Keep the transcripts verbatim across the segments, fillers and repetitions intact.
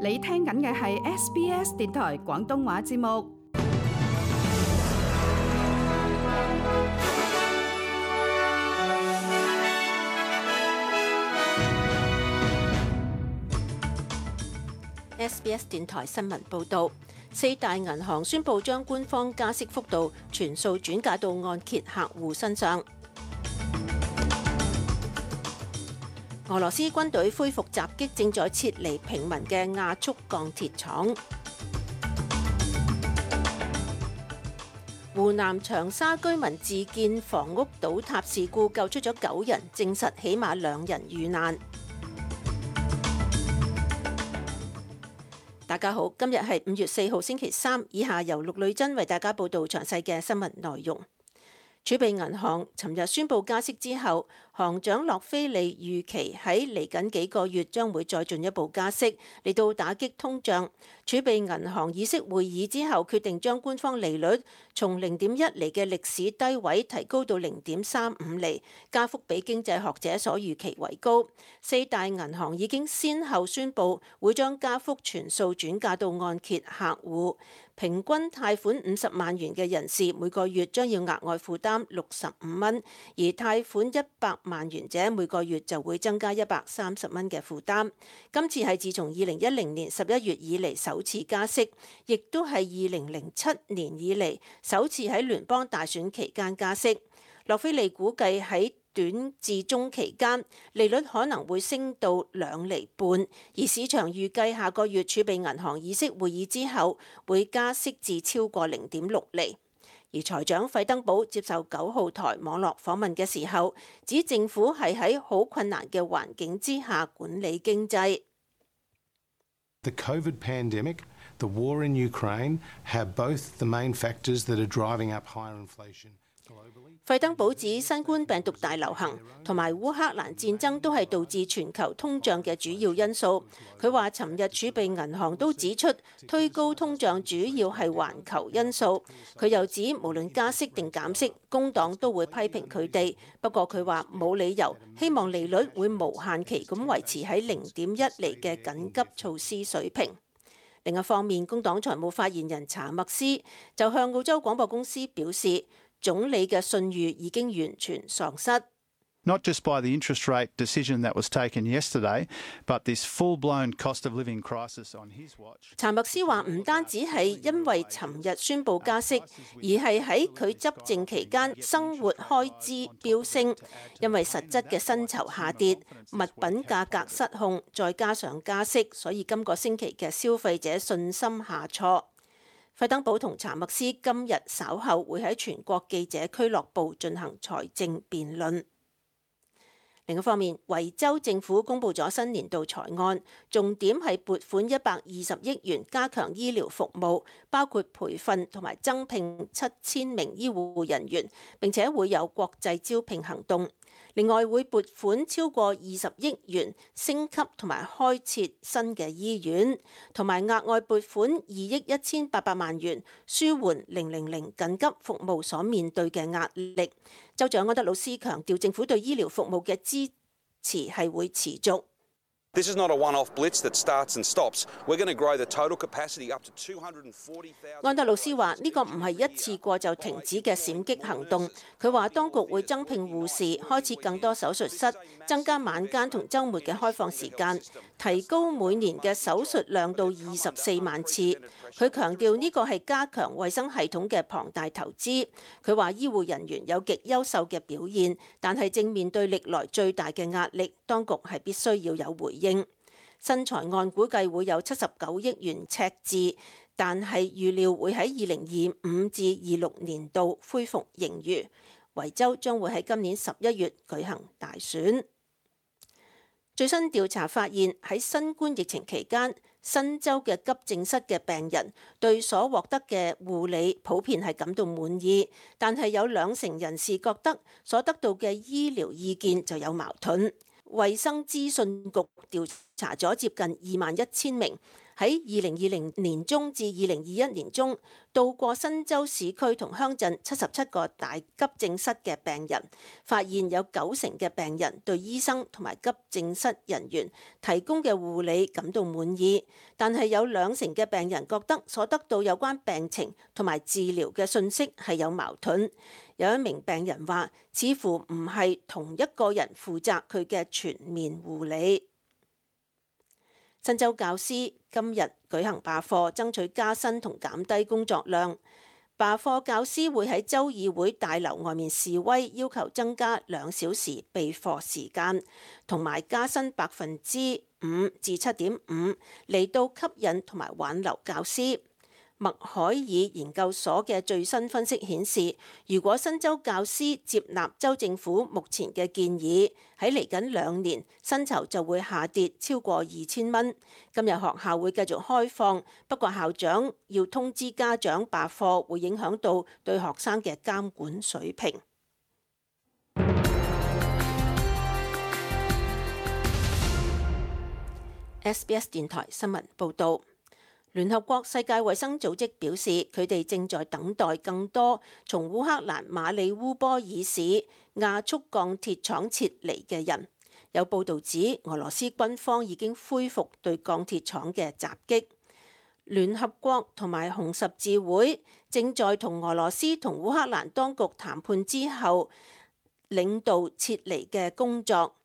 你聽緊嘅係 S B S 電台廣東話節目。S B S 電台新聞報導，四大銀行宣布將官方加息幅度全數轉嫁到按揭客戶身上。俄羅斯軍隊恢復襲擊正在撤離平民嘅亞速鋼鐵廠。湖南長沙居民自建房屋倒塌事故救出咗九人，證實起碼兩人遇難。大家好，今日係五月四號星期三，以下由陸女珍為大家報道詳細嘅新聞內容。儲備銀行尋日宣布加息之後，行長洛菲利預期喺嚟緊幾個月將會再進一步加息，嚟到打擊通脹。儲備銀行議息會議之後決定將官方利率從零點一厘嘅歷史低位提高到零點三五厘，加幅比經濟學者所預期為高。四大銀行已經先後宣布會將加幅全數轉嫁到按揭客戶。平均貸款五十萬元嘅人士每個月將要額外負擔六十五蚊，而貸款一百萬元者每個月就會增加一百三十蚊嘅負擔。今次係自從二零一零年十一月以嚟首次加息，亦都係二零零七年以嚟首次喺聯邦大選期間加息。洛菲利估計喺短至中期間，利率可能會升到兩厘半，而市場預計下個月儲備銀行議息會議之後會加息至超過零點六厘。而財長費登堡接受九號台網絡訪問嘅時候，指政府係喺好困難嘅環境之下管理經濟。The COVID pandemic, the war in Ukraine have both the main factors that are driving up higher inflation. 費登堡指新冠病毒大流行同埋烏克蘭戰爭都係導致全球通脹嘅主要因素。佢話尋日儲備銀行都指出，推高通脹主要係環球因素。佢又指無論加息定減息，工黨都會批評佢哋。不過佢話冇理由希望利率會無限期咁維持喺零點一厘嘅緊急措施水平。另一方面，工黨財務發言人查默斯就向澳洲廣播公司表示，總理嘅信譽已經完全喪失。Not just by the interest rate decision that was taken yesterday, but this full-blown cost of living crisis on his watch. 查默斯話唔單止係因為尋日宣布加息，而係喺佢執政期間生活開支飆升，因為實質嘅薪酬下跌、物品價格失控，再加上加息，所以今個星期嘅消費者信心下挫。費登堡同查默斯今日稍後會喺全國記者俱樂部進行財政辯論。另一方面，維州政府公布咗新年度財案，重點係撥款一百二十億元加強醫療服務，包括培訓同埋增聘七千名醫護人員，並且會有國際招聘行動。另外會撥款超過二十億元升級同埋開設新嘅醫院，同埋額外撥款二億一千八百萬元舒緩零零零緊急服務所面對嘅壓力。州長安德魯斯強調，政府對醫療服務嘅支持係會持續。This is not a one-off blitz that starts and stops. We're going to grow the total capacity up to two hundred forty thousand. 安德魯斯話：呢個唔係一次過就停止嘅閃擊行動。佢話當局會增聘護士，開設更多手術室，增加晚間同週末嘅開放時間，提高每年嘅手術量到二十四萬次。佢強調呢個係加強衛生系統嘅龐大投資。佢話醫護人員有極優秀嘅表現，但係正面對歷來最大嘅壓力，當局係必須要有回應。新財案估計會有七十九億元赤字，但係預料會喺二零二五至二六年度恢復盈餘。維州將會喺今年十一月舉行大選。最新調查發現，喺新冠疫情期間，新州嘅急症室嘅病人對所獲得嘅護理普遍係感到滿意，但係有兩成人士覺得所得到嘅醫療意見就有矛盾。衛生資訊局調查咗接近二萬一千名喺二零二零年中至二零二一年中，到過新州市區同鄉鎮七十七個大急症室嘅病人，發現有九成嘅病人對醫生同埋急症室人員提供嘅護理感到滿意，但係有兩成嘅病人覺得所得到有關病情同埋治療嘅信息係有矛盾。有一名病人話，似乎唔係同一個人負責佢嘅全面護理。新州教師今日舉行罷課，爭取加薪同減低工作量。罷課教師會喺州議會大樓外面示威，要求增加兩小時備課時間，同埋加薪百分之五至七點五，嚟到吸引同埋挽留教師。麥海爾研究所嘅最新分析顯示，如果新州教師接納州政府目前嘅建議，喺嚟緊兩年薪酬就會下跌超過二千蚊。今日學校會繼續開放，不過校長要通知家長罷課，會影響到對學生嘅監管水平。S B S 電台新聞報導。聯合國世界衛生組織表示，佢哋正在等待更多從烏克蘭馬里烏波爾市亞速鋼鐵廠撤離嘅人。有報導指，俄羅斯軍方已經恢復對鋼鐵廠嘅襲擊。聯合國同埋紅十字會正在同俄羅斯同烏克蘭當局談判之後，領導撤離嘅工作。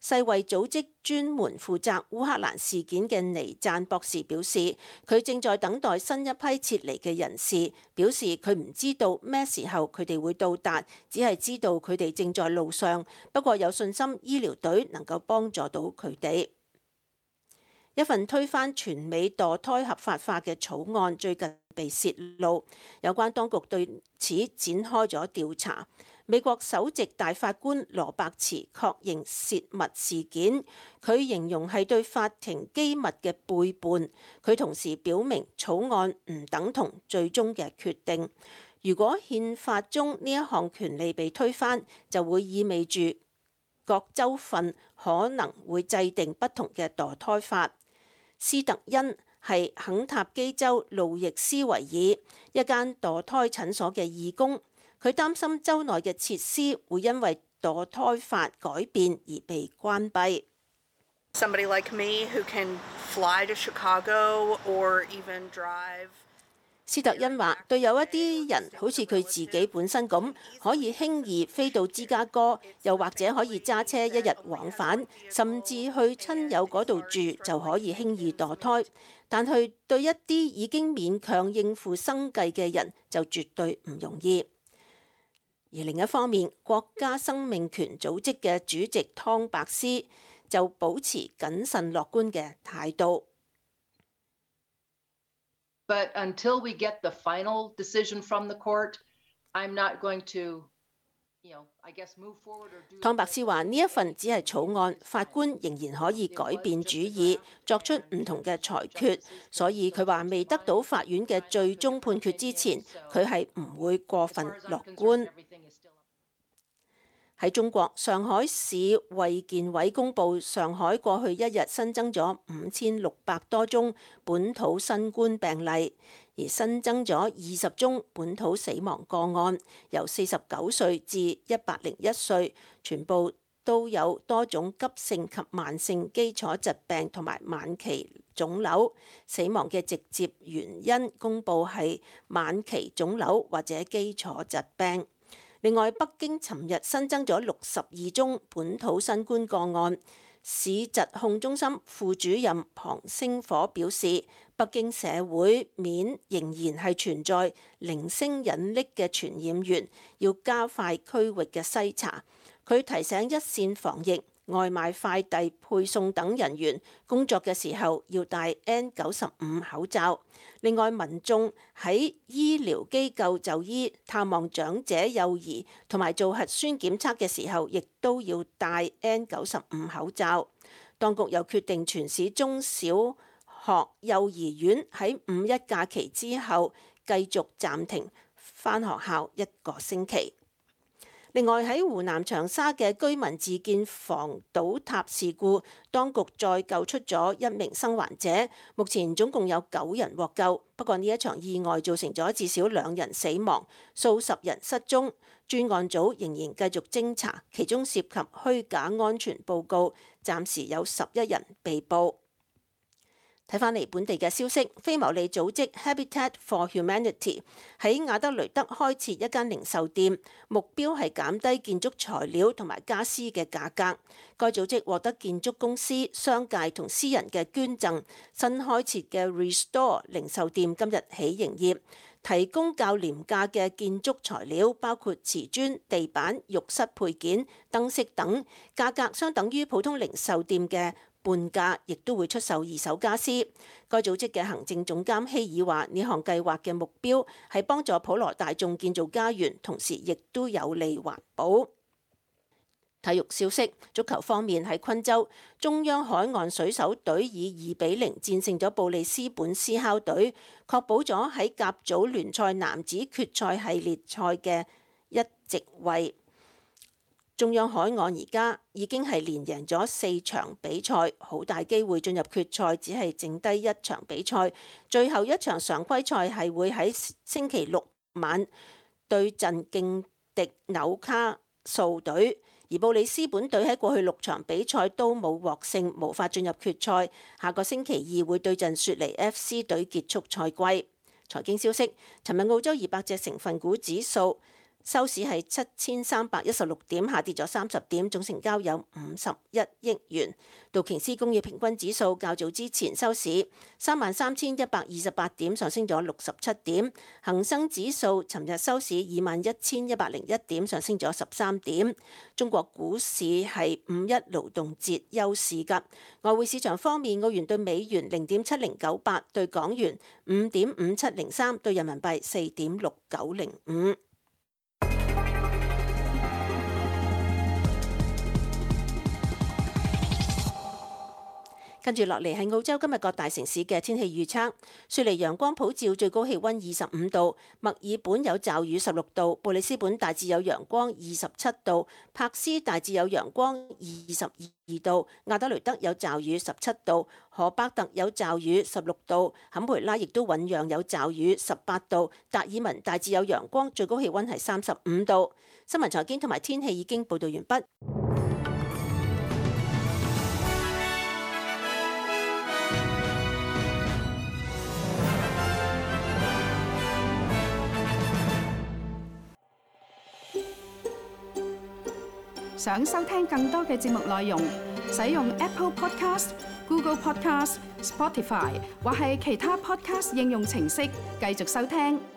世衛組織專門負責烏克蘭事件嘅尼贊博士表示，佢正在等待新一批撤離嘅人士，表示佢唔知道咩時候佢哋會到達，只係知道佢哋正在路上，不過有信心醫療隊能夠幫助到佢哋。一份推翻全美墮胎合法化嘅草案最近被泄露，有關當局對此展開咗調查。美國首席大法官羅伯茨確認泄密事件，佢形容係對法庭機密嘅背叛。佢同時表明草案唔等同最終嘅決定。如果憲法中呢一項權利被推翻，就會意味住各州份可能會制定不同嘅墮胎法。斯特恩係肯塔基州路易斯維爾一間墮胎診所嘅義工。佢擔心州內嘅設施會因為墮胎法改變而被關閉。Somebody like me who can fly to Chicago or even drive. 斯特恩話：對有一啲人好似佢自己本身咁，可以輕易飛到芝加哥，又或者可以揸車一日往返，甚至去親友嗰度住就可以輕易墮胎。但係對一啲已經勉強應付生計嘅人就絕對唔容易。而另一方面，國家生命權組織嘅主席湯伯斯就保持謹慎樂觀嘅態度。But until we get the final decision from the court, I'm not going to, you know, I guess move forward or do. 湯伯斯話：呢一份只係草案，法官仍然可以改變主意，作出唔同嘅裁決。所以佢話未得到法院嘅最終判決之前，佢係唔會過分樂觀。喺中國，上海市衛健委公布，上海過去一日新增咗五千六百多宗本土新冠病例，而新增咗二十宗本土死亡個案，由四十九歲至一百零一歲，全部都有多種急性及慢性基礎疾病同埋晚期腫瘤。死亡嘅直接原因公布係晚期腫瘤或者基礎疾病。另外，北京尋日新增咗六十二宗本土新冠個案。市疾控中心副主任龐星火表示，北京社會面仍然係存在零星隱匿嘅傳染源，要加快區域嘅篩查。佢提醒一線防疫、外賣快遞配送等人員工作嘅時候要戴 N 九十五 口罩。另外，民眾喺醫療機構就醫、探望長者、幼兒同埋做核酸檢測嘅時候，亦都要戴 N 九十五 口罩。當局又決定全市中小學、幼兒園喺五一假期之後繼續暫停返學校一個星期。另外喺湖南長沙嘅居民自建房倒塌事故，當局再救出咗一名生還者，目前總共有九人獲救。不過呢一場意外造成咗至少兩人死亡，數十人失蹤。專案組仍然繼續偵查，其中涉及虛假安全報告，暫時有十一人被捕。睇返嚟本地嘅消息，非牟利組織 Habitat for Humanity 喺亞德雷德開設一間零售店，目標係減低建築材料同埋家私嘅價格。該組織獲得建築公司、商界同私人嘅捐贈，新開設嘅 Restore 零售店今日起營業，提供較廉價嘅建築材料，包括瓷磚、地板、浴室配件、燈飾等，價格相等於普通零售店嘅半價，亦都會出售二手家私。該組織嘅行政總監希爾話：呢項計劃嘅目標係幫助普羅大眾建造家園，同時亦都有利環保。體育消息，足球方面喺昆州，中央海岸水手隊以二比零戰勝咗布里斯本斯考隊，確保咗喺甲組聯賽男子決賽系列賽嘅一席位。中央海岸而家已經係連贏咗四場比賽，好大機會進入決賽，只係剩低一場比賽。最後一場常規賽係會喺星期六晚對陣勁敵紐卡素隊。而布里斯本隊喺過去六場比賽都冇獲勝，無法進入決賽。下個星期二會對陣雪梨 F C 隊結束賽季。財經消息，尋日澳洲二百隻成分股指數收市係七千三百一十六點，下跌咗三十點，總成交有五十一億元。道瓊斯工業平均指數較早之前收市三萬三千一百二十八點，上升咗六十七點。恒生指數尋日收市二萬一千一百零一點，上升咗十三點。中國股市係五一勞動節休市㗎。外匯市場方面，澳元對美元零點七零九八，對港元五點五七零三，對人民幣四點六九零五。跟住落嚟係澳洲今日各大城市嘅天氣預測。雪梨陽光普照，最高氣溫二十五度；墨爾本有驟雨十六度；布里斯本大致有陽光二十七度；柏斯大致有陽光二十二度；亞德雷德有驟雨十七度；荷伯特有驟雨十六度；坎培拉亦都醞釀有驟雨十八度；達爾文大致有陽光，最高氣溫係三十五度。新聞財經同埋天氣已經報道完畢。想收聽更多嘅節目內容，使用 Apple Podcast、Google Podcast、Spotify 或係其他 Podcast 應用程式繼續收聽。